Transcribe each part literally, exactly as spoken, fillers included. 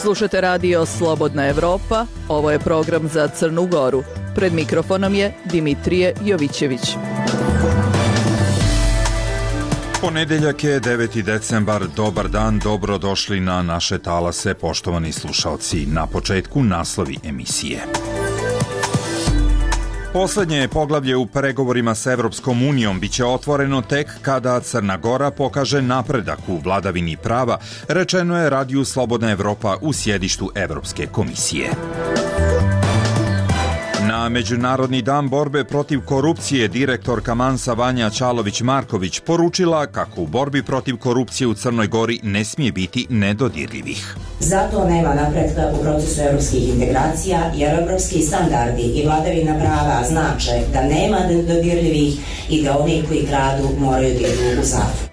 Slušate radio Slobodna Evropa, ovo je program za Crnu Goru. Pred mikrofonom je Dimitrije Jovićević. Ponedeljak je deveti decembar, dobar dan, dobrodošli na naše talase, poštovani slušaoci. Na početku naslovi emisije. Poslednje poglavlje u pregovorima s Evropskom unijom biće otvoreno tek kada Crna Gora pokaže napredak u vladavini prava, rečeno je radiju Slobodna Evropa u sjedištu Evropske komisije. Na Međunarodni dan borbe protiv korupcije direktorka Mansa Vanja Čalović-Marković poručila kako u borbi protiv korupcije u Crnoj Gori ne smije biti nedodirljivih. Zato nema napretka u procesu evropskih integracija, jer evropski standardi i vladavina prava znače da nema nedodirljivih i da oni koji kradu moraju da idu u zatvor.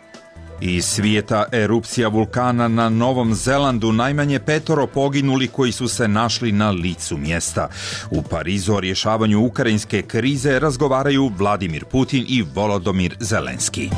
Iz svijeta erupcija vulkana na Novom Zelandu, najmanje petoro poginuli koji su se našli na licu mjesta. U Parizu o rješavanju ukrajinske krize razgovaraju Vladimir Putin i Volodymyr Zelenski.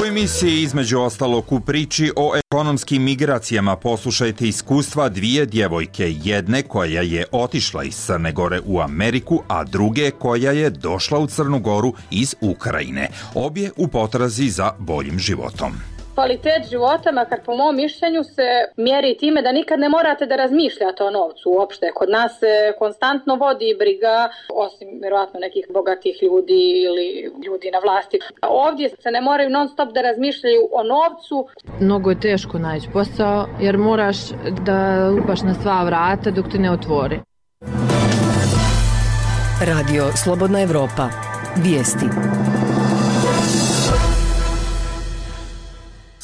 U emisiji između ostalog u priči o ekonomskim migracijama poslušajte iskustva dvije djevojke, jedne koja je otišla iz Crne Gore u Ameriku, a druge koja je došla u Crnu Goru iz Ukrajine. Obje u potrazi za boljim životom. Kvalitet života, makar po mom mišljenju, se mjeri time da nikad ne morate da razmišljate o novcu uopšte. Kod nas se konstantno vodi briga, osim vjerojatno nekih bogatih ljudi ili ljudi na vlasti. Ovdje se ne moraju non stop da razmišljaju o novcu. Mnogo je teško naći posao jer moraš da lupaš na sva vrata dok te ne otvori. Radio Slobodna Evropa. Vijesti.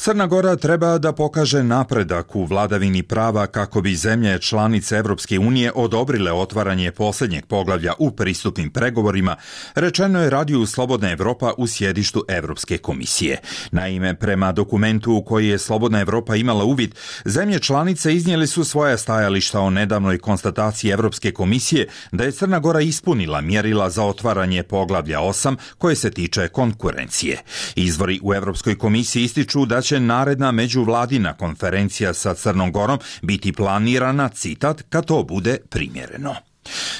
Crna Gora treba da pokaže napredak u vladavini prava kako bi zemlje članice Evropske unije odobrile otvaranje posljednjeg poglavlja u pristupnim pregovorima, rečeno je radiju Slobodna Evropa u sjedištu Evropske komisije. Naime, prema dokumentu u koji je Slobodna Evropa imala uvid, zemlje članice iznijeli su svoja stajališta o nedavnoj konstataciji Evropske komisije da je Crna Gora ispunila mjerila za otvaranje poglavlja osam koje se tiče konkurencije. Izvori u Evropskoj komisiji ističu da će naredna međuvladina konferencija sa Crnom Gorom biti planirana, citat, kad to bude primjereno.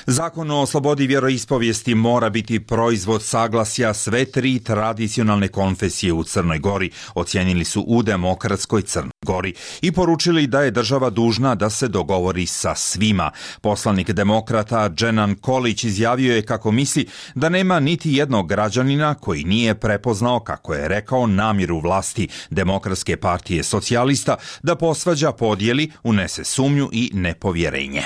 Zakon o slobodi vjeroispovijesti mora biti proizvod saglasja sve tri tradicionalne konfesije u Crnoj Gori, ocijenili su u Demokratskoj Crnoj Gori i poručili da je država dužna da se dogovori sa svima. Poslanik demokrata Dženan Kolić izjavio je kako misli da nema niti jednog građanina koji nije prepoznao, kako je rekao, namjeru vlasti Demokratske partije socijalista da posvađa, podijeli, unese sumnju i nepovjerenje.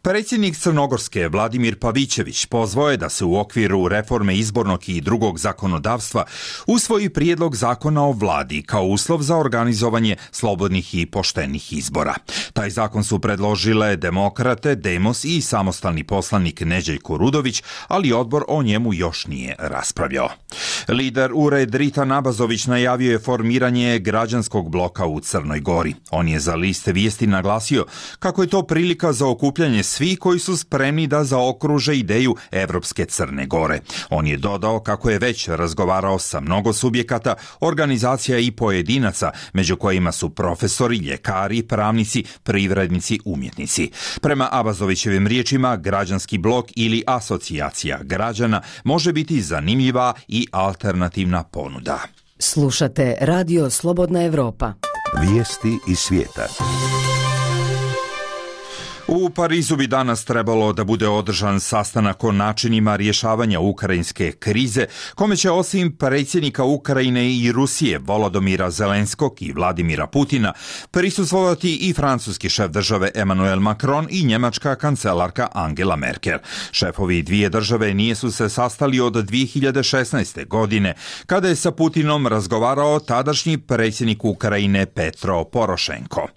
Predsjednik Crnogorske Vladimir Pavićević pozvao je da se u okviru reforme izbornog i drugog zakonodavstva usvoji prijedlog zakona o vladi kao uslov za organizovanje slobodnih i poštenih izbora. Taj zakon su predložile Demokrate, Demos i samostalni poslanik Neđeljko Rudović, ali odbor o njemu još nije raspravljao. Lider U R E Dritan Abazović najavio je formiranje građanskog bloka u Crnoj Gori. On je za liste vijesti naglasio kako je to prilika za okupljanje svi koji su spremni da zaokruže ideju Evropske Crne Gore. On je dodao kako je već razgovarao sa mnogo subjekata, organizacija i pojedinaca, među kojima su profesori, ljekari, pravnici, privrednici, umjetnici. Prema Abazovićevim riječima, građanski blok ili asocijacija građana može biti zanimljiva i alternativna ponuda. Slušate Radio Slobodna Evropa. Vijesti iz svijeta. U Parizu bi danas trebalo da bude održan sastanak o načinima rješavanja ukrajinske krize, kome će osim predsjednika Ukrajine i Rusije Volodymyra Zelenskog i Vladimira Putina prisustvovati i francuski šef države Emmanuel Macron i njemačka kancelarka Angela Merkel. Šefovi dvije države nije su se sastali od dvije hiljade šesnaeste. godine, kada je sa Putinom razgovarao tadašnji predsjednik Ukrajine Petro Porošenko.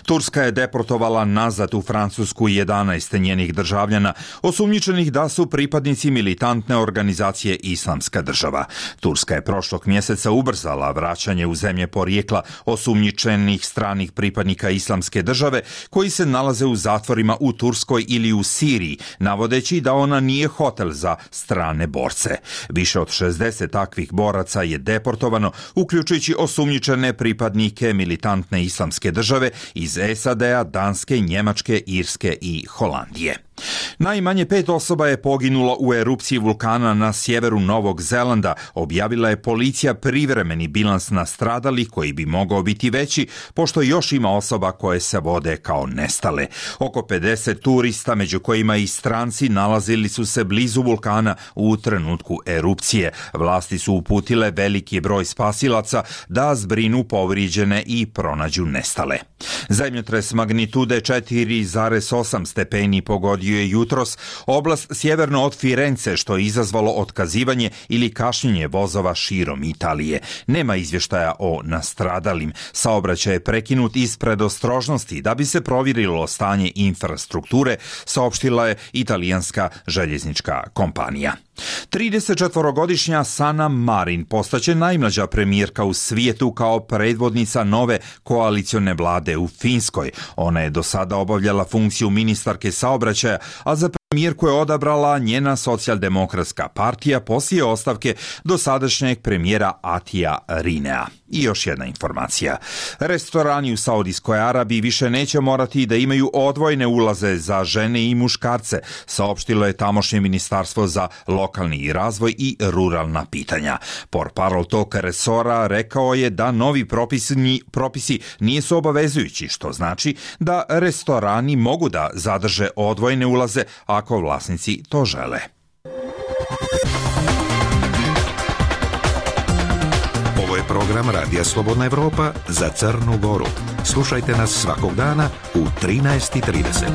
Turska je deportovala nazad u Francusku Francusku jedanaest njenih državljana osumnjičenih da su pripadnici militantne organizacije Islamska država. Turska je prošlog mjeseca ubrzala vraćanje u zemlje porijekla osumnjičenih stranih pripadnika Islamske države koji se nalaze u zatvorima u Turskoj ili u Siriji, navodeći da ona nije hotel za strane borce. Više od šezdeset takvih boraca je deportovano, uključujući osumnjičene pripadnike militantne Islamske države iz S A D-a, Danske, Njemačke, Irske i Holandije. Najmanje pet osoba je poginulo u erupciji vulkana na sjeveru Novog Zelanda, objavila je policija privremeni bilans nastradalih koji bi mogao biti veći, pošto još ima osoba koje se vode kao nestale. Oko pedeset turista, među kojima i stranci, nalazili su se blizu vulkana u trenutku erupcije. Vlasti su uputile veliki broj spasilaca da zbrinu povrijeđene i pronađu nestale. Zemljotres magnitude četiri zarez osam stepeni pogodio je jutros oblast sjeverno od Firence, što je izazvalo otkazivanje ili kašnjenje vozova širom Italije. Nema izvještaja o nastradalim. Saobraćaj je prekinut iz predostrožnosti da bi se provjerilo stanje infrastrukture, saopštila je italijanska željeznička kompanija. tridesetčetvorogodišnja Sanna Marin postaće najmlađa premijerka u svijetu kao predvodnica nove koalicione vlade u Finskoj. Ona je do sada obavljala funkciju ministarke saobraćaja, a za premijerku je odabrala njena socijaldemokratska partija poslije ostavke dosadašnjeg premijera Atija Rinea. I još jedna informacija. Restorani u Saudijskoj Arabiji više neće morati da imaju odvojene ulaze za žene i muškarce, saopštilo je tamošnje ministarstvo za lokalni razvoj i ruralna pitanja. Portparol tog resora rekao je da novi propisi, propisi nisu obavezujući, što znači da restorani mogu da zadrže odvojene ulaze ako vlasnici to žele. Ovo je program Radija Slobodna Evropa za Crnu Goru. Slušajte nas svakog dana u trinaest i trideset.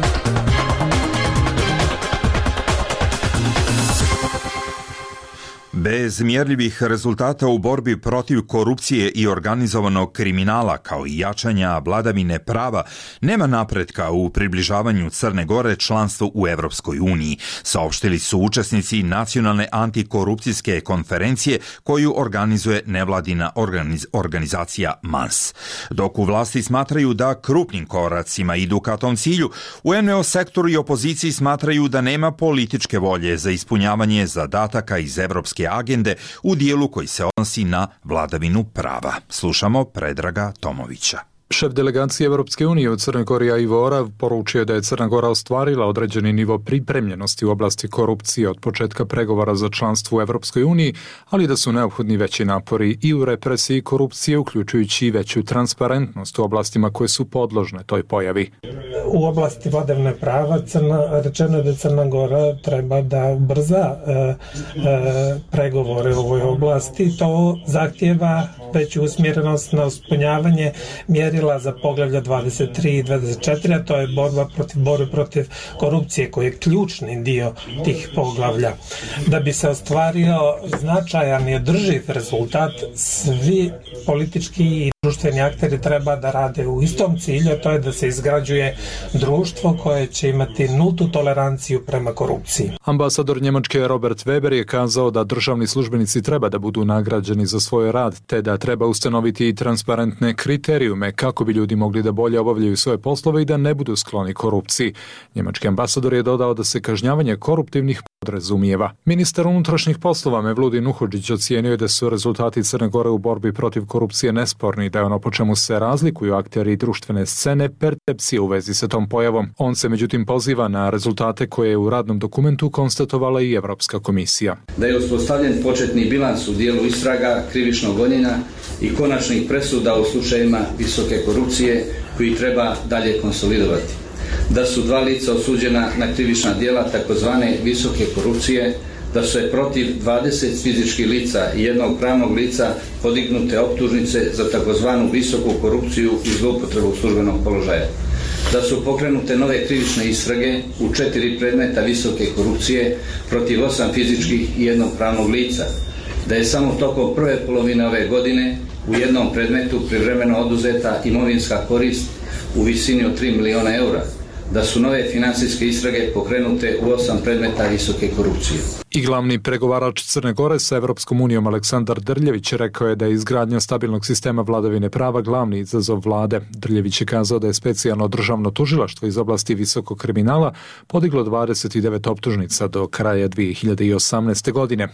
Bez mjerljivih rezultata u borbi protiv korupcije i organizovanog kriminala, kao i jačanja vladavine prava, nema napretka u približavanju Crne Gore članstvu u Evropskoj uniji, saopštili su učesnici nacionalne antikorupcijske konferencije koju organizuje nevladina organiz, organizacija M A N S. Dok u vlasti smatraju da krupnim koracima idu ka tom cilju, u N V O sektoru i opoziciji smatraju da nema političke volje za ispunjavanje zadataka iz Evropske agende u dijelu koji se odnosi na vladavinu prava. Slušamo Predraga Tomovića. Šef delegacije Evropske unije u Crnoj Gori Ivo Orav poručio da je Crna Gora ostvarila određeni nivo pripremljenosti u oblasti korupcije od početka pregovora za članstvo u Evropskoj uniji, ali da su neophodni veći napori i u represiji korupcije, uključujući i veću transparentnost u oblastima koje su podložne toj pojavi. U oblasti vladavine prava Crna, rečeno je da Crna Gora treba da ubrza e, e, pregovore u ovoj oblasti. To zahtjeva veću usmjerenost na ispunjavanje mjeri za poglavlja dvadeset tri i dvadeset četiri, a to je borba protiv, borbe protiv korupcije, koji je ključni dio tih poglavlja. Da bi se ostvario značajan i održiv rezultat, svi politički i društveni akteri treba da rade u istom cilju, a to je da se izgrađuje društvo koje će imati nultu toleranciju prema korupciji. Ambasador Njemačke Robert Weber je kazao da državni službenici treba da budu nagrađeni za svoj rad, te da treba ustanoviti i transparentne kriterijume kako bi ljudi mogli da bolje obavljaju svoje poslove i da ne budu skloni korupciji. Njemački ambasador je dodao da se kažnjavanje koruptivnih podrazumijeva. Ministar unutrašnjih poslova Mevludin Uhodžić ocijenio je da su rezultati Crne Gore u borbi protiv korupcije nesporni, da je ono po čemu se razlikuju akteri društvene scene percepcije u vezi sa tom pojavom. On se međutim poziva na rezultate koje je u radnom dokumentu konstatovala i Evropska komisija. Da je uspostavljen početni bilans u dijelu istraga, krivičnog gonjenja i konačnih presuda u slučajevima visoke korupcije koji treba dalje konsolidovati. Da su dva lica osuđena na krivična djela takozvane visoke korupcije, da su je protiv dvadeset fizičkih lica i jednog pravnog lica podignute optužnice za takozvanu visoku korupciju i zloupotrebu službenog položaja. Da su pokrenute nove krivične istrage u četiri predmeta visoke korupcije protiv osam fizičkih i jednog pravnog lica. Da je samo tokom prve polovine ove godine u jednom predmetu privremeno oduzeta imovinska korist u visini od tri miliona eura. da su nove financijske istrage pokrenute u osam predmeta visoke korupcije. I glavni pregovarač Crne Gore sa Evropskom unijom Aleksandar Drljević rekao je da je izgradnja stabilnog sistema vladavine prava glavni izazov vlade. Drljević je kazao da je specijalno državno tužilaštvo iz oblasti visokog kriminala podiglo dvadeset devet optužnica do kraja dvije hiljade osamnaeste. godine.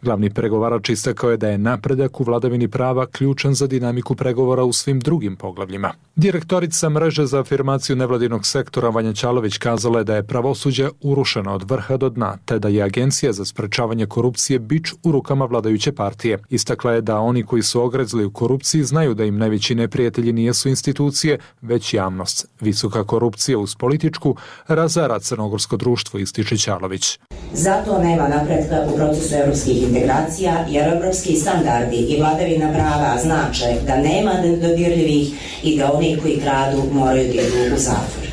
Glavni pregovarač istakao je da je napredak u vladavini prava ključan za dinamiku pregovora u svim drugim poglavljima. Direktorica mreže za afirmaciju nevladinog sektora Vanja Ćalović kazala je da je pravosuđe urušeno od vrha do dna, te da je Agencija za sprečavanje korupcije bič u rukama vladajuće partije. Istakla je da oni koji su ogrezli u korupciji znaju da im najveći neprijatelji nijesu institucije, već javnost. Visoka korupcija uz političku razara crnogorsko društvo, ističe Ćalović. Zato nema napretka u procesu evropskih integracija, jer evropski standardi i vladavina prava znače da nema nedodirljivih i da oni koji kradu moraju da idu u zatvor.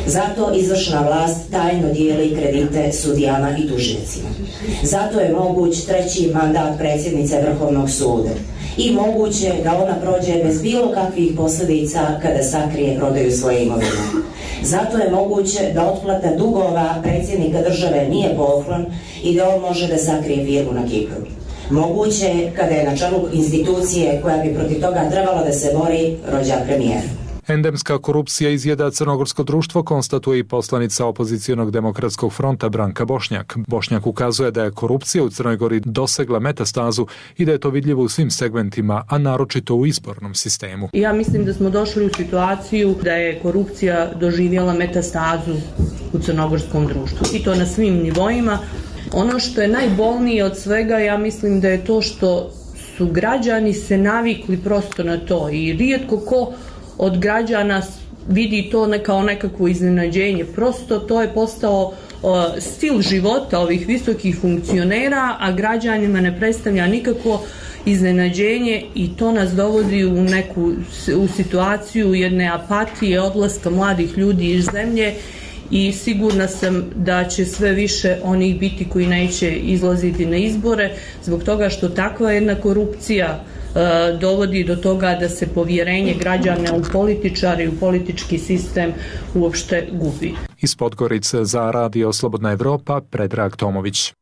Zato izvršna vlast tajno dijeli kredite sudijama i tužiocima. Zato je moguć treći mandat predsjednice Vrhovnog suda i moguće da ona prođe bez bilo kakvih posljedica kada sakrije prodaju svoje imovine. Zato je moguće da otplata dugova predsjednika države nije poklon i da on može da sakrije firmu na Kipru. Moguće je kada je na čelu institucije koja bi protiv toga trebala da se bori rođak premijer. Endemska korupcija izjeda crnogorsko društvo, konstatuje i poslanica opozicijonog demokratskog fronta Branka Bošnjak. Bošnjak ukazuje da je korupcija u Crnoj Gori dosegla metastazu i da je to vidljivo u svim segmentima, a naročito u izbornom sistemu. Ja mislim da smo došli u situaciju da je korupcija doživjela metastazu u crnogorskom društvu i to na svim nivoima. Ono što je najbolnije od svega, ja mislim da je to što su građani se navikli prosto na to i rijetko ko od građana vidi to ne kao nekakvo iznenađenje. Prosto to je postao uh, stil života ovih visokih funkcionera, a građanima ne predstavlja nikakvo iznenađenje i to nas dovodi u neku u situaciju jedne apatije, odlaska mladih ljudi iz zemlje i sigurna sam da će sve više onih biti koji neće izlaziti na izbore zbog toga što takva jedna korupcija dovodi do toga da se povjerenje građana u političare i u politički sistem uopšte gubi. Iz Podgorice za Radio Slobodna Evropa, Predrag Tomović.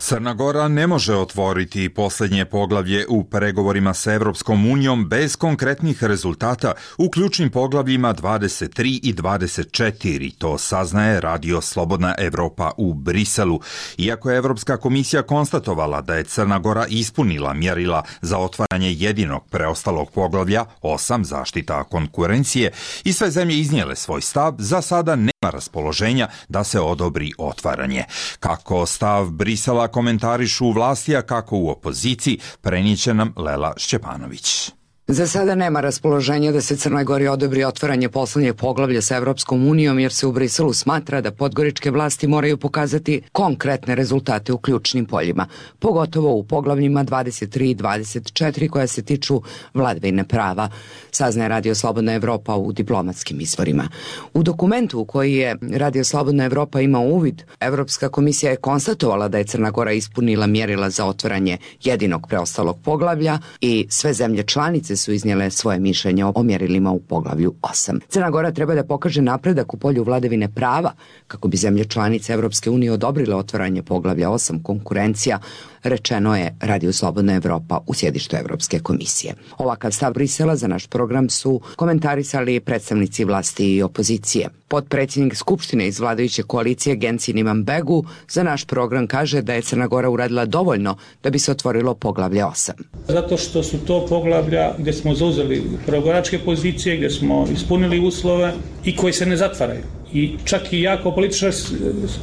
Crna Gora ne može otvoriti posljednje poglavlje u pregovorima sa Evropskom unijom bez konkretnih rezultata u ključnim poglavljima dvadeset tri i dvadeset četiri, to saznaje Radio Slobodna Evropa u Briselu. Iako je Evropska komisija konstatovala da je Crna Gora ispunila mjerila za otvaranje jedinog preostalog poglavlja, osam zaštita konkurencije, i sve zemlje iznijele svoj stav, za sada nema raspoloženja da se odobri otvaranje. Kako stav Brisela komentarišu u vlasti, a kako u opoziciji, prenijeće nam Lela Šćepanović. Za sada nema raspoloženja da se Crnoj Gori odobri otvaranje poslednjeg poglavlja sa Evropskom unijom, jer se u Briselu smatra da podgoričke vlasti moraju pokazati konkretne rezultate u ključnim poljima, pogotovo u poglavljima dvadeset tri i dvadeset četiri koja se tiču vladavine prava, saznaje Radio Slobodna Evropa u diplomatskim izvorima. U dokumentu u koji je Radio Slobodna Evropa imao uvid, Evropska komisija je konstatovala da je Crna Gora ispunila mjerila za otvaranje jedinog preostalog poglavlja i sve zemlje članice su iznijele svoje mišljenje o mjerilima u poglavlju osam. Crna Gora treba da pokaže napredak u polju vladavine prava kako bi zemlje članice Evropske unije odobrile otvaranje poglavlja osam konkurencija, rečeno je Radio Slobodna Evropa u sjedištu Evropske komisije. Ovakav stav Brisela za naš program su komentarisali predstavnici vlasti i opozicije. Potpredsjednik Skupštine iz vladajuće koalicije Genci Imanbegu za naš program kaže da je Crna Gora uradila dovoljno da bi se otvorilo poglavlje osam. Zato što su to poglavlja gdje smo zauzeli pregovaračke pozicije, gdje smo ispunili uslove i koji se ne zatvaraju. I čak i ja kao političar,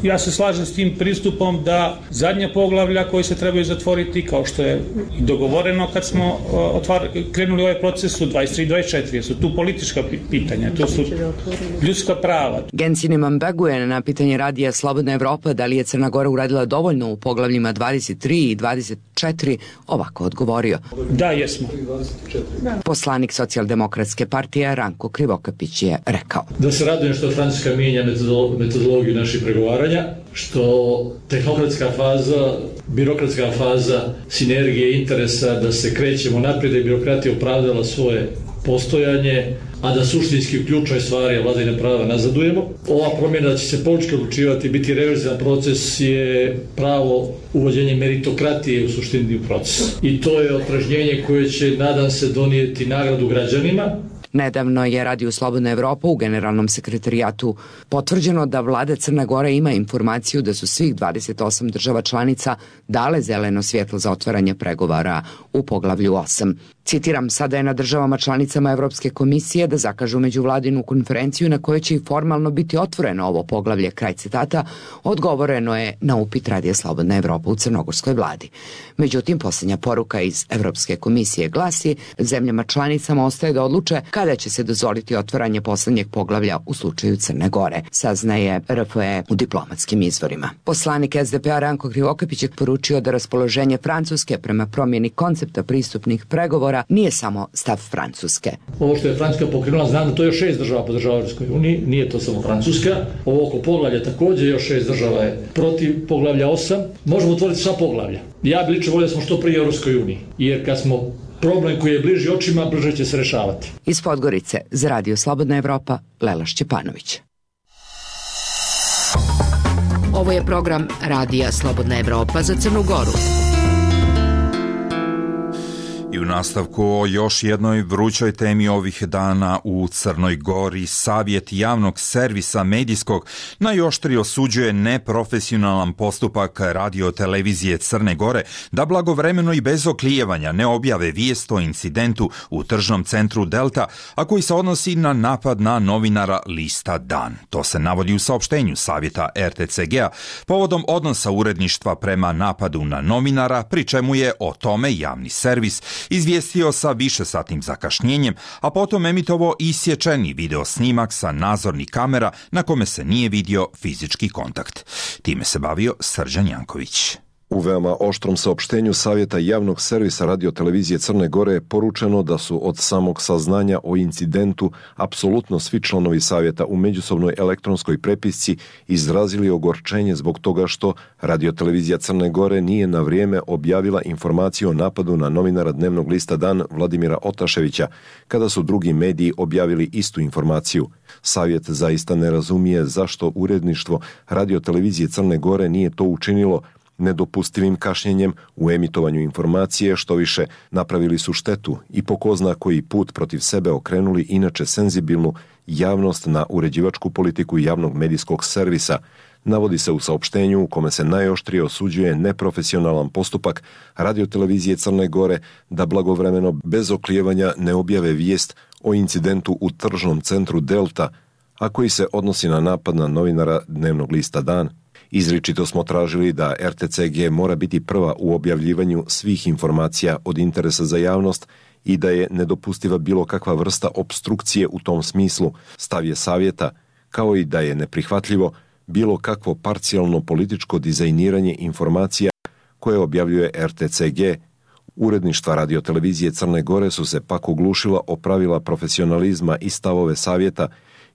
ja se slažem s tim pristupom da zadnje poglavlja koji se trebaju zatvoriti, kao što je i dogovoreno kad smo otvar, krenuli ovaj proces, su dvadeset tri i dvadeset četiri, su tu politička pitanja, to su ljudska prava. Genci Imanbegu je na pitanje Radija Slobodna Evropa da li je Crna Gora uradila dovoljno u poglavljima dvadeset tri i dvadeset četiri ovako odgovorio. Da, jesmo. Poslanik Socijaldemokratske partije Ranko Krivokapić je rekao. Da se radujem što Francuska mijenja metodologiju naših pregovaranja, što tehnokratska faza, birokratska faza sinergije interesa da se krećemo naprijed i birokratija opravdala svoje postojanje, a da suštinski u ključnoj stvari vladavine prava nazadujemo. Ova promjena da će se politički odlučivati, biti reverzivan proces je pravo uvođenje meritokratije u suštini u proces. I to je otpražnjenje koje će, nadam se, donijeti nagradu građanima. Nedavno je Radio Slobodna Evropa u Generalnom sekretarijatu potvrđeno da vlada Crne Gore ima informaciju da su svih dvadeset osam država članica dale zeleno svjetlo za otvaranje pregovora u poglavlju osam. Citiram, sada je na državama članicama Evropske komisije da zakažu međuvladinu konferenciju na kojoj će i formalno biti otvoreno ovo poglavlje, kraj citata, odgovoreno je na upit Radija Slobodna Evropa u crnogorskoj vladi. Međutim, posljednja poruka iz Evropske komisije glasi, zemljama članicama ostaje da odluče kada će se dozvoliti otvaranje poslednjeg poglavlja u slučaju Crne Gore, saznaje R F E u diplomatskim izvorima. Poslanik S D P-a Ranko Krivokapić je poručio da raspoloženje Francuske prema promjeni koncepta pristupnih pregovora nije samo stav Francuske. Ovo što je Francuska pokrenula, znam da to je još šest država podržava Europskoj uniji, nije to samo Francuska. Ovo oko poglavlja također još šest država je protiv poglavlja osam. Možemo otvoriti sva poglavlja. Ja bi lično volio da smo što prije Europskoj uniji, jer kad smo problem koji je bliži očima, brže će se rešavati. Iz Podgorice za Radio Slobodna Evropa, Lela Šćepanović. Ovo je program Radija Slobodna Evropa za Crnu Goru. I u nastavku o još jednoj vrućoj temi ovih dana u Crnoj Gori, Savjet javnog servisa medijskog najoštrije osuđuje neprofesionalan postupak radio-televizije Crne Gore da blagovremeno i bez oklijevanja ne objave vijest o incidentu u tržnom centru Delta, a koji se odnosi na napad na novinara lista Dan. To se navodi u saopštenju Savjeta R T C G-a povodom odnosa uredništva prema napadu na novinara, pri čemu je o tome javni servis izvijestio sa višesatnim zakašnjenjem, a potom emitovao isječeni video snimak sa nadzornih kamera na kome se nije vidio fizički kontakt. Time se bavio Srđan Janković. U veoma oštrom saopštenju Savjeta javnog servisa radio-televizije Crne Gore je poručeno da su od samog saznanja o incidentu apsolutno svi članovi Savjeta u međusobnoj elektronskoj prepisci izrazili ogorčenje zbog toga što radio-televizija Crne Gore nije na vrijeme objavila informaciju o napadu na novinara dnevnog lista Dan Vladimira Otaševića, kada su drugi mediji objavili istu informaciju. Savjet zaista ne razumije zašto uredništvo radio-televizije Crne Gore nije to učinilo nedopustivim kašnjenjem u emitovanju informacije, što više napravili su štetu i po ko zna koji put protiv sebe okrenuli inače senzibilnu javnost na uređivačku politiku javnog medijskog servisa, navodi se u saopštenju u kome se najoštrije osuđuje neprofesionalan postupak radio-televizije Crne Gore da blagovremeno bez oklijevanja ne objave vijest o incidentu u tržnom centru Delta, a koji se odnosi na napad na novinara dnevnog lista Dan. Izričito smo tražili da R T C G mora biti prva u objavljivanju svih informacija od interesa za javnost i da je nedopustiva bilo kakva vrsta opstrukcije u tom smislu, stav je Savjeta, kao i da je neprihvatljivo bilo kakvo parcijalno političko dizajniranje informacija koje objavljuje R T C G. Uredništva radio-televizije Crne Gore su se pak oglušila o pravila profesionalizma i stavove Savjeta.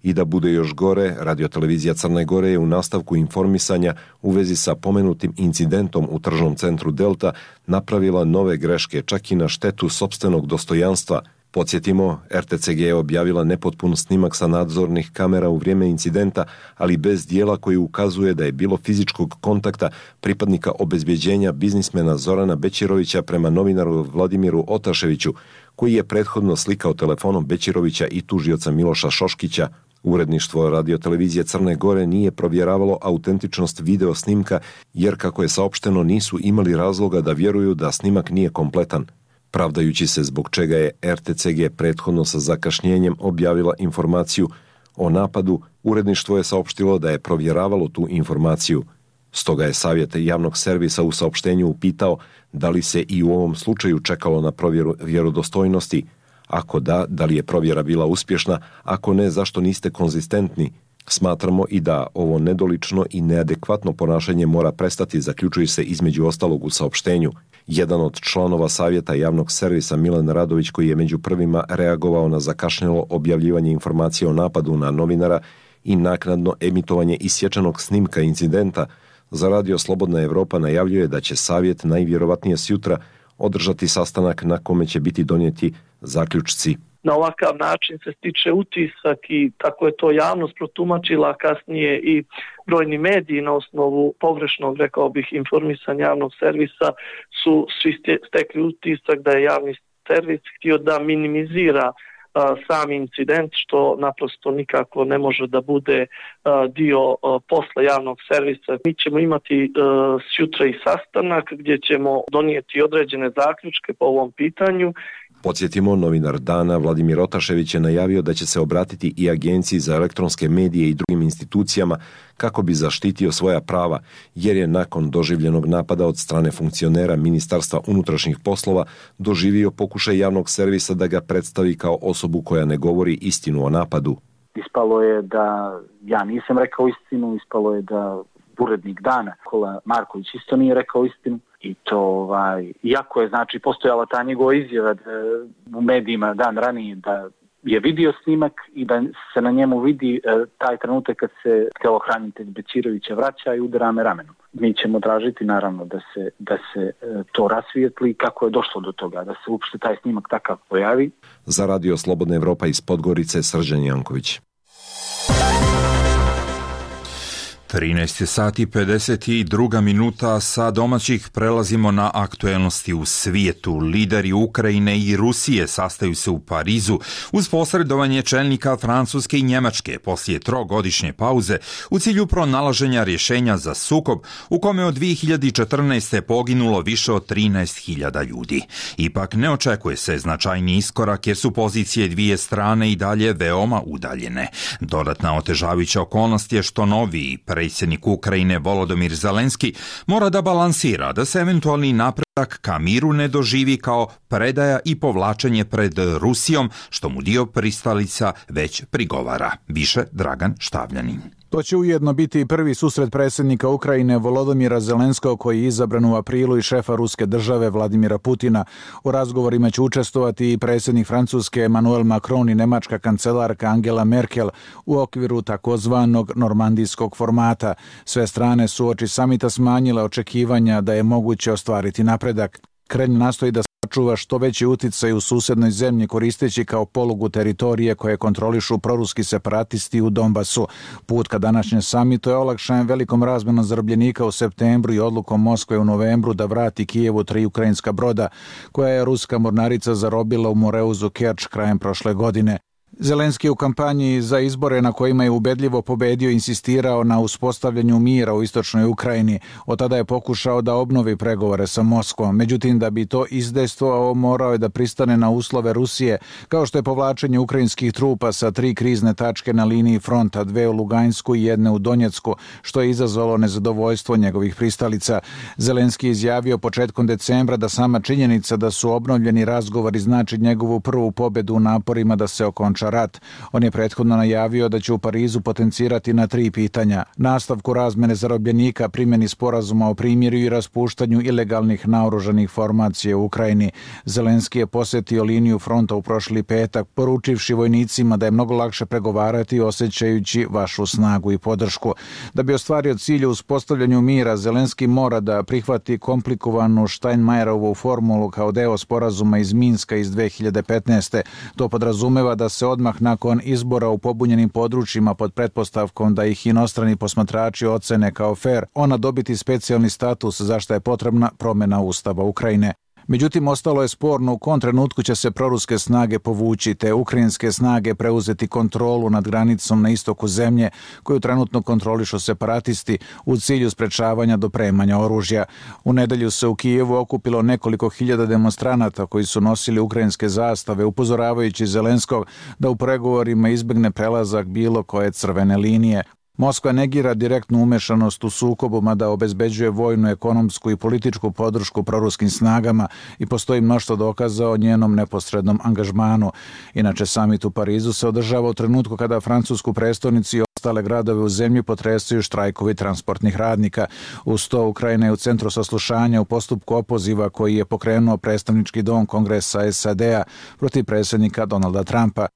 I da bude još gore, radio-televizija Crne Gore je u nastavku informisanja u vezi sa pomenutim incidentom u tržnom centru Delta napravila nove greške, čak i na štetu sopstvenog dostojanstva. Podsjetimo, R T C G je objavila nepotpun snimak sa nadzornih kamera u vrijeme incidenta, ali bez dijela koji ukazuje da je bilo fizičkog kontakta pripadnika obezbjeđenja biznismena Zorana Bećirovića prema novinaru Vladimiru Otaševiću, koji je prethodno slikao telefonom Bećirovića i tužioca Miloša Šoškića. Uredništvo radio-televizije Crne Gore nije provjeravalo autentičnost video snimka, jer kako je saopšteno nisu imali razloga da vjeruju da snimak nije kompletan. Pravdajući se zbog čega je R T C G prethodno sa zakašnjenjem objavila informaciju o napadu, uredništvo je saopštilo da je provjeravalo tu informaciju. Stoga je Savjet javnog servisa u saopštenju upitao da li se i u ovom slučaju čekalo na provjeru vjerodostojnosti. Ako da, da li je provjera bila uspješna, ako ne, zašto niste konzistentni? Smatramo i da ovo nedolično i neadekvatno ponašanje mora prestati, zaključuje se između ostalog u saopštenju. Jedan od članova Savjeta javnog servisa, Milan Radović, koji je među prvima reagovao na zakašnjelo objavljivanje informacije o napadu na novinara i naknadno emitovanje isječenog snimka incidenta, za Radio Slobodna Evropa najavljuje da će Savjet najvjerovatnije sjutra održati sastanak na kome će biti donijeti zaključci. na ovakav način se stiče utisak i tako je to javnost protumačila, kasnije i brojni mediji na osnovu pogrešnog, rekao bih, informisanja javnog servisa su svi stekli utisak da je javni servis htio da minimizira a, sam incident, što naprosto nikako ne može da bude a, dio a, posla javnog servisa. Mi ćemo imati a, sutra i sastanak gdje ćemo donijeti određene zaključke po ovom pitanju. Podsjetimo, novinar Dana Vladimir Otašević je najavio da će se obratiti i Agenciji za elektronske medije i drugim institucijama kako bi zaštitio svoja prava, jer je nakon doživljenog napada od strane funkcionera Ministarstva unutrašnjih poslova doživio pokušaj javnog servisa da ga predstavi kao osobu koja ne govori istinu o napadu. Ispalo je da ja nisam rekao istinu, ispalo je da urednik Dana, Kola Marković, isto nije rekao istinu. I to, ovaj, iako je, znači, postojala ta njegova izjava da, u medijima dan ranije da je vidio snimak i da se na njemu vidi e, taj trenutak kad se telohranitelj Bećirovića vraća i udara me ramenom. Mi ćemo tražiti, naravno, da se, da se e, to rasvijetli kako je došlo do toga, da se uopšte taj snimak takav pojavi. Za Radio Slobodna Evropa iz Podgorice, Srđan Janković. trinaest sati pedeset dva minuta, sa domaćih prelazimo na aktuelnosti u svijetu. Lideri Ukrajine i Rusije sastaju se u Parizu uz posredovanje čelnika Francuske i Njemačke poslije trogodišnje pauze u cilju pronalaženja rješenja za sukob u kome od dvije hiljade četrnaeste. poginulo više od trinaest hiljada ljudi. Ipak ne očekuje se značajni iskorak jer su pozicije dvije strane i dalje veoma udaljene. Dodatna otežavajuća okolnost je što noviji predsjednik Ukrajine Volodymyr Zelenski mora da balansira da se eventualni napredak ka miru ne doživi kao predaja i povlačenje pred Rusijom, što mu dio pristalica već prigovara. Više Dragan Štavljanin. To će ujedno biti i prvi susret predsjednika Ukrajine Volodymyra Zelenskog, koji je izabran u aprilu, i šefa ruske države Vladimira Putina. U razgovorima će učestvovati i predsjednik Francuske Emmanuel Macron i nemačka kancelarka Angela Merkel u okviru takozvanog normandijskog formata. Sve strane su uoči samita smanjile očekivanja da je moguće ostvariti napredak. Kremlj nastoji da sačuva što veći uticaj u susednoj zemlji koristeći kao polugu teritorije koje kontrolišu proruski separatisti u Donbasu. Put ka današnjem samitu je olakšan velikom razmenom zarobljenika u septembru i odlukom Moskve u novembru da vrati Kijevu tri ukrajinska broda koja je ruska mornarica zarobila u Moreuzu Kerč krajem prošle godine. Zelenski u kampanji za izbore na kojima je ubedljivo pobedio insistirao na uspostavljanju mira u istočnoj Ukrajini. Od tada je pokušao da obnovi pregovore sa Moskvom. Međutim, da bi to izdejstvovao, morao je da pristane na uslove Rusije, kao što je povlačenje ukrajinskih trupa sa tri krizne tačke na liniji fronta, dve u Lugansku i jedne u Donjecku, što je izazvalo nezadovoljstvo njegovih pristalica. Zelenski je izjavio početkom decembra da sama činjenica da su obnovljeni razgovori znači njegovu prvu pobedu u naporima da se okonča rat. On je prethodno najavio da će u Parizu potencirati na tri pitanja: nastavku razmene zarobljenika, primjeni sporazuma o primirju i raspuštanju ilegalnih naoružanih formacija u Ukrajini. Zelenski je posjetio liniju fronta u prošli petak, poručivši vojnicima da je mnogo lakše pregovarati osjećajući vašu snagu i podršku. Da bi ostvario cilj u uspostavljanju mira, Zelenski mora da prihvati komplikovanu Steinmeierovu formulu kao deo sporazuma iz Minska iz dve hiljade petnaeste. To podrazumeva da se odmah nakon izbora u pobunjenim područjima pod pretpostavkom da ih inostrani posmatrači ocene kao fer, ona dobiti specijalni status za što je potrebna promjena Ustava Ukrajine. Međutim, ostalo je sporno u kom trenutku će se proruske snage povući, te ukrajinske snage preuzeti kontrolu nad granicom na istoku zemlje, koju trenutno kontrolišu separatisti u cilju sprečavanja dopremanja oružja. U nedelju se u Kijevu okupilo nekoliko hiljada demonstranata koji su nosili ukrajinske zastave, upozoravajući Zelenskog da u pregovorima izbjegne prelazak bilo koje crvene linije. Moskva negira direktnu umešanost u sukobu, mada obezbeđuje vojnu, ekonomsku i političku podršku proruskim snagama i postoji mnoštvo dokaza o njenom neposrednom angažmanu. Inače, samit u Parizu se održava u trenutku kada francusku prestonicu i ostale gradove u zemlji potresaju štrajkovi transportnih radnika. Uz to, Ukrajina je u centru saslušanja u postupku opoziva koji je pokrenuo predstavnički dom Kongresa S A D-a protiv predsjednika Donalda Trumpa.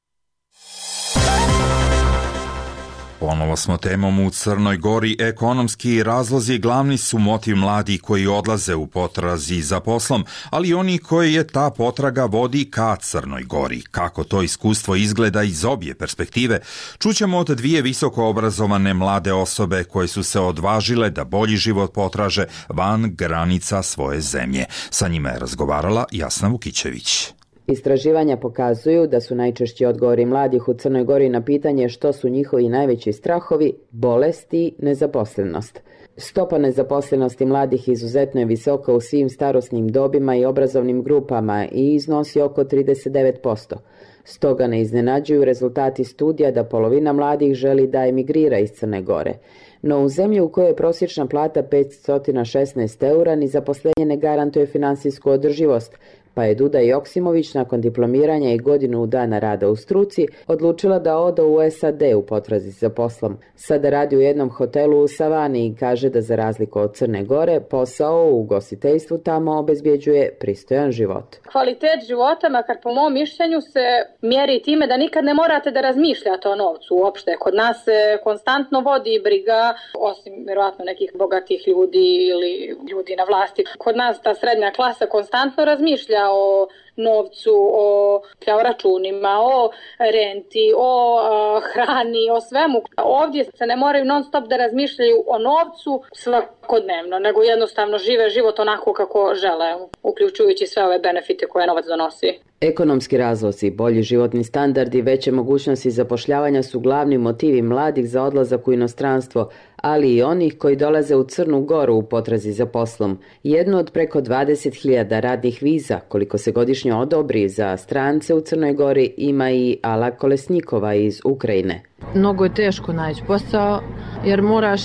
Ponovo smo temom u Crnoj Gori. Ekonomski razlozi glavni su motiv mladih koji odlaze u potrazi za poslom, ali i oni koji je ta potraga vodi ka Crnoj Gori. Kako to iskustvo izgleda iz obje perspektive, čućemo od dvije visoko obrazovane mlade osobe koje su se odvažile da bolji život potraže van granica svoje zemlje. Sa njima je razgovarala Jasna Vukićević. Istraživanja pokazuju da su najčešći odgovori mladih u Crnoj Gori na pitanje što su njihovi najveći strahovi bolest i nezaposlenost. Stopa nezaposlenosti mladih izuzetno je visoka u svim starosnim dobima i obrazovnim grupama i iznosi oko trideset devet posto. Stoga ne iznenađuju rezultati studija da polovina mladih želi da emigrira iz Crne Gore. No u zemlji u kojoj je prosječna plata petsto šesnaest eura ni zaposlenje ne garantuje finansijsku održivost, pa je Duda Joksimović nakon diplomiranja i godinu dana rada u struci odlučila da ode u S A D u potrazi za poslom. Sada radi u jednom hotelu u Savani i kaže da za razliku od Crne Gore, posao u ugostiteljstvu tamo obezbjeđuje pristojan život. Kvalitet života, makar po mom mišljenju, se mjeri time da nikad ne morate da razmišljate o novcu uopšte. Kod nas se konstantno vodi briga, osim vjerojatno nekih bogatih ljudi ili ljudi na vlasti. Kod nas ta srednja klasa konstantno razmišlja o novcu, o, o računima, o renti, o a, hrani, o svemu. Ovdje se ne moraju non stop da razmišljaju o novcu svakodnevno, nego jednostavno žive život onako kako žele, uključujući sve ove benefite koje novac donosi. Ekonomski razlozi, bolji životni standard i veće mogućnosti zapošljavanja su glavni motivi mladih za odlazak u inostranstvo, ali i onih koji dolaze u Crnu Goru u potrazi za poslom. Jednu od preko dvadeset hiljada radnih viza, koliko se godišnje odobri za strance u Crnoj Gori, ima i Ala Kolesnikova iz Ukrajine. Mnogo je teško naći posao jer moraš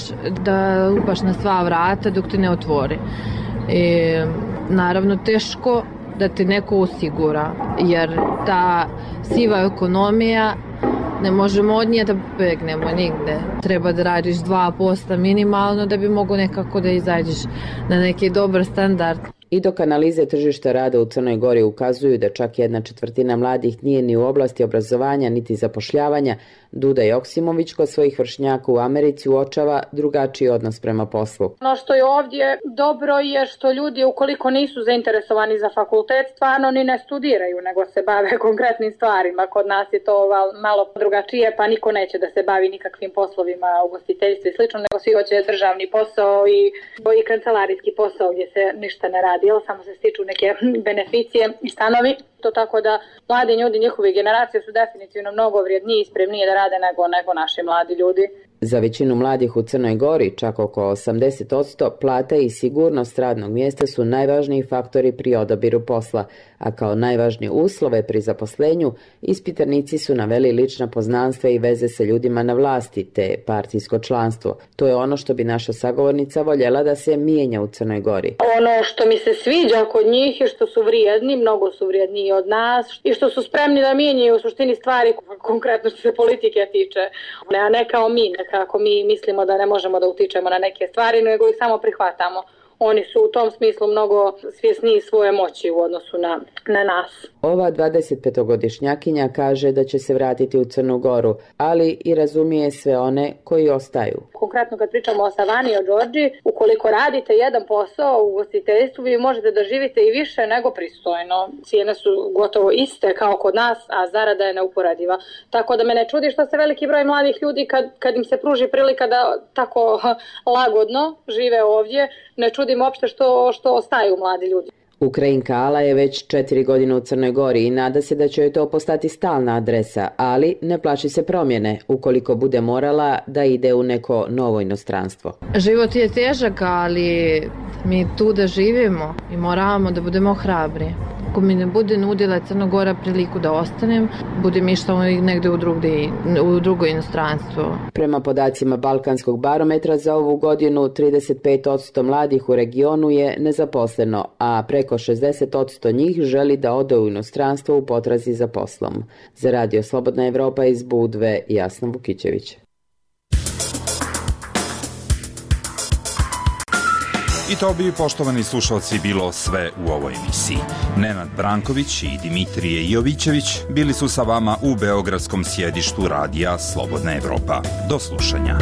da upaš na sva vrata dok ti ne otvori. I, naravno teško da ti neko osigura, jer ta siva ekonomija ne možemo od nje da begnemo nigde. Treba da radiš dva posta minimalno da bi mogo nekako da izađeš na neki dobar standard. I dok analize tržišta rada u Crnoj Gori ukazuju da čak jedna četvrtina mladih nije ni u oblasti obrazovanja niti zapošljavanja, Duda Joksimović kod svojih vršnjaka u Americi uočava drugačiji odnos prema poslu. Ono što je ovdje dobro je što ljudi ukoliko nisu zainteresovani za fakultet stvarno ni ne studiraju, nego se bave konkretnim stvarima. Kod nas je to malo drugačije, pa niko neće da se bavi nikakvim poslovima ugostiteljstva i slično, nego svi hoće državni posao i, i kancelarijski posao gdje se ništa ne radi, jel, samo se stiču neke beneficije i stanovi. To tako da mladi ljudi, njihove generacije su definitivno mnogo vrijedniji i spremniji da rade nego, nego naši mladi ljudi. Za većinu mladih u Crnoj Gori, čak oko osamdeset posto, plata i sigurnost radnog mjesta su najvažniji faktori pri odabiru posla, a kao najvažnije uslove pri zaposlenju ispitanici su naveli lična poznanstva i veze sa ljudima na vlasti te partijsko članstvo. To je ono što bi naša sagovornica voljela da se mijenja u Crnoj Gori. Ono što mi se sviđa kod njih je što su vrijedni, mnogo su vrijedniji od nas i što su spremni da mijenjaju u suštini stvari konkretno što se politike tiče, a ne kao mi, ne kako mi mislimo da ne možemo da utičemo na neke stvari, nego ih samo prihvatamo. Oni su u tom smislu mnogo svjesniji svoje moći u odnosu na, na nas. Ova dvadesetpetogodišnjakinja kaže da će se vratiti u Crnu Goru, ali i razumije sve one koji ostaju. Konkretno kad pričamo o Savani i o Đorđi, ukoliko radite jedan posao u ugostiteljstvu, vi možete da živite i više nego pristojno. Cijene su gotovo iste kao kod nas, a zarada je neuporediva. Tako da me ne čudi što se veliki broj mladih ljudi kad, kad im se pruži prilika da tako lagodno žive ovdje, ne čudim uopšte što, što ostaju mladi ljudi. Ukrajinka Ala je već četiri godine u Crnoj Gori i nada se da će joj to postati stalna adresa, ali ne plaši se promjene ukoliko bude morala da ide u neko novo inostranstvo. Život je težak, ali mi tu da živimo i moramo da budemo hrabri. Ako mi ne bude nudila Crna Gora priliku da ostanem, budem išla negde u, drugde, u drugo inostranstvo. Prema podacima Balkanskog barometra za ovu godinu, trideset pet posto mladih u regionu je nezaposleno, a preko šezdeset posto njih želi da ode u inostranstvo u potrazi za poslom. Za Radio Slobodna Evropa iz Budve, Jasna Vukićević. I to bi, poštovani slušalci, bilo sve u ovoj emisiji. Nenad Branković i Dimitrije Jovićević bili su sa vama u beogradskom sjedištu radija Slobodna Evropa. Do slušanja.